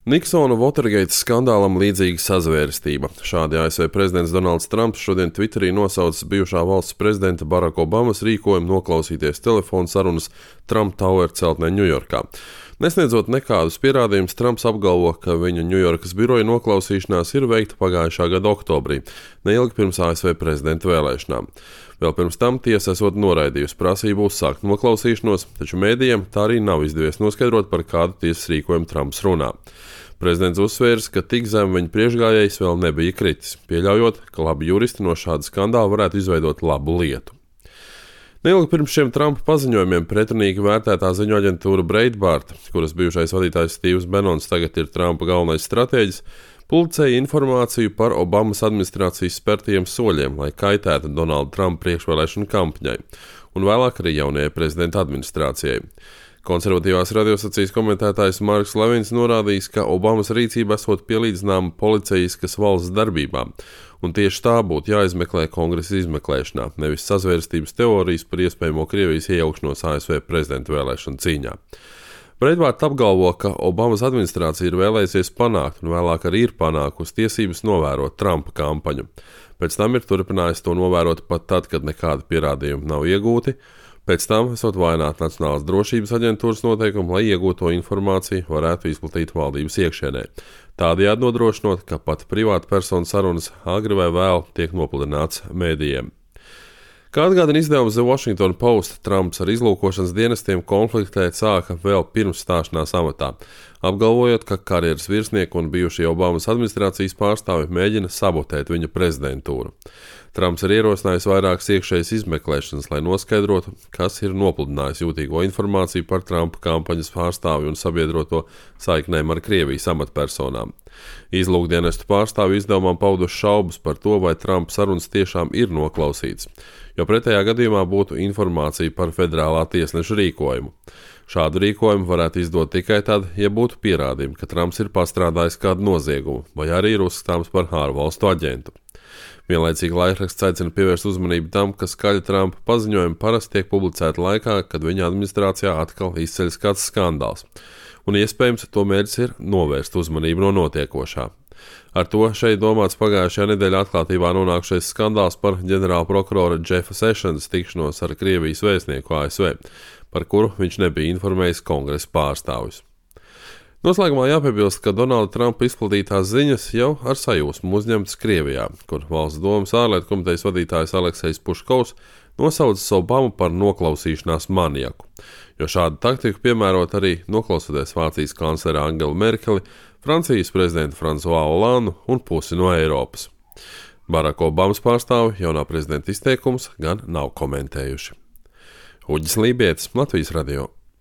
Niksona Watergate skandālam līdzīga sazvērestība. Šādi ASV prezidents Donalds Trumps šodien Twitterī nosaucis bijušā valsts prezidenta Baraka Obamas rīkojumu noklausīties telefonu sarunas Trump Tower celtnē Ņujorkā. Nesniedzot nekādus pierādījumus, Trumps apgalvo, ka viņa Ņujorkas biroja noklausīšanās ir veikta pagājušā gada oktobrī, neilgi pirms ASV prezidenta vēlēšanām. Vēl pirms tam tiesa esot noraidījusi prasību uzsākt noklausīšanos, taču mēdījiem tā arī nav izdevies noskaidrot, par kādu tiesas rīkojumu Trumps runā. Prezidents uzsvērs, ka tik zem viņa priekšgājējs vēl nebija kritis, pieļaujot, ka labi juristi no šāda skandāla varētu izveidot labu lietu. Neilgi pirms šiem Trumpa paziņojumiem pretrunīgi vērtētā ziņu aģentūra Breitbart, kuras bijušais vadītājs Stīvs Benons tagad ir Trumpa galvenais stratēģis, publicēja informāciju par Obamas administrācijas spērtajiem soļiem, lai kaitētu Donalda Trumpa priekšvēlēšanu kampaņai, un vēlāk arī jaunajai prezidenta administrācijai. Konservatīvās radiostacijas komentētājs Marks Levins norādījis, ka Obamas rīcība esot pielīdzināma policijiskas valsts darbībām, un tieši tā būtu jāizmeklē Kongresa izmeklēšanā, nevis sazvērstības teorijas par iespējamo Krievijas iejaukšanos ASV prezidenta vēlēšanu cīņā. Breitbart apgalvo, ka Obamas administrācija ir vēlējusies panākt, un vēlāk arī ir panākusi tiesības novērot Trumpa kampaņu. Pēc tam ir turpinājis to novērot pat tad, kad nekādi pierādījumi nav iegūti. Pēc tam esot vājināt Nacionālās drošības aģentūras noteikumu, lai iegūto informāciju varētu izplatīt valdības iekšienē. Tādējādi nodrošinot, ka pat privāta persona sarunas agri vai vēl tiek nopludināts mēdījiem. Kā atgādina izdevums The Washington Post, Trumps ar izlūkošanas dienestiem konfliktēt sāka vēl pirms stāšanās amatā, apgalvojot, ka karjeras virsnieki un bijušie Obamas administrācijas pārstāvi mēģina sabotēt viņa prezidentūru. Trumps ir ierosinājis vairākas iekšējas izmeklēšanas, lai noskaidrotu, kas ir nopludinājis jūtīgo informāciju par Trumpa kampaņas pārstāvi un sabiedroto saiknēm ar Krievijas amatpersonām. Izlūkdienestu pārstāvi izdevumam pauduši šaubas par to, vai Trumpa sarunas tiešām ir noklausīts, jo pretējā gadījumā būtu informācija par federālā tiesneša rīkojumu. Šādu rīkojumu varētu izdot tikai tad, ja būtu pierādījumi, ka Trumps ir pastrādājis kādu noziegumu, vai arī ir uzskatāms par ārvalstu aģentu. Vienlaicīgi laikraksts aicina pievērst uzmanību tam, ka skaļa Trumpa paziņojumi parasti tiek publicēti laikā, kad viņa administrācijā atkal izceļas kāds skandāls, un iespējams to mērķis ir novērst uzmanību no notiekošā. Ar to šeit domāts pagājušajā nedēļā atklātībā nonākušais skandāls par ģenerāla prokurora Jeffa Sessions tikšanos ar Krievijas vēstnieku ASV, par kuru viņš nebija informējis Kongresa pārstāvjus. Noslēgumā jāpiebilst, ka Donalda Trumpa izplatītās ziņas jau ar sajūsmu uzņemtas Krievijā, kur Valsts domas ārlietu komitejas vadītājs Aleksejs Puškovs nosaucis Obamu par noklausīšanās maniaku, jo šādu taktiku piemērot arī noklausoties Vācijas kanclera Angelu Merkeli, Francijas prezidentu Fransuā Olandu un pusi no Eiropas. Baraka Obamas pārstāvi jaunā prezidenta izteikums gan nav komentējuši. Uģis Lībietis, Latvijas radio.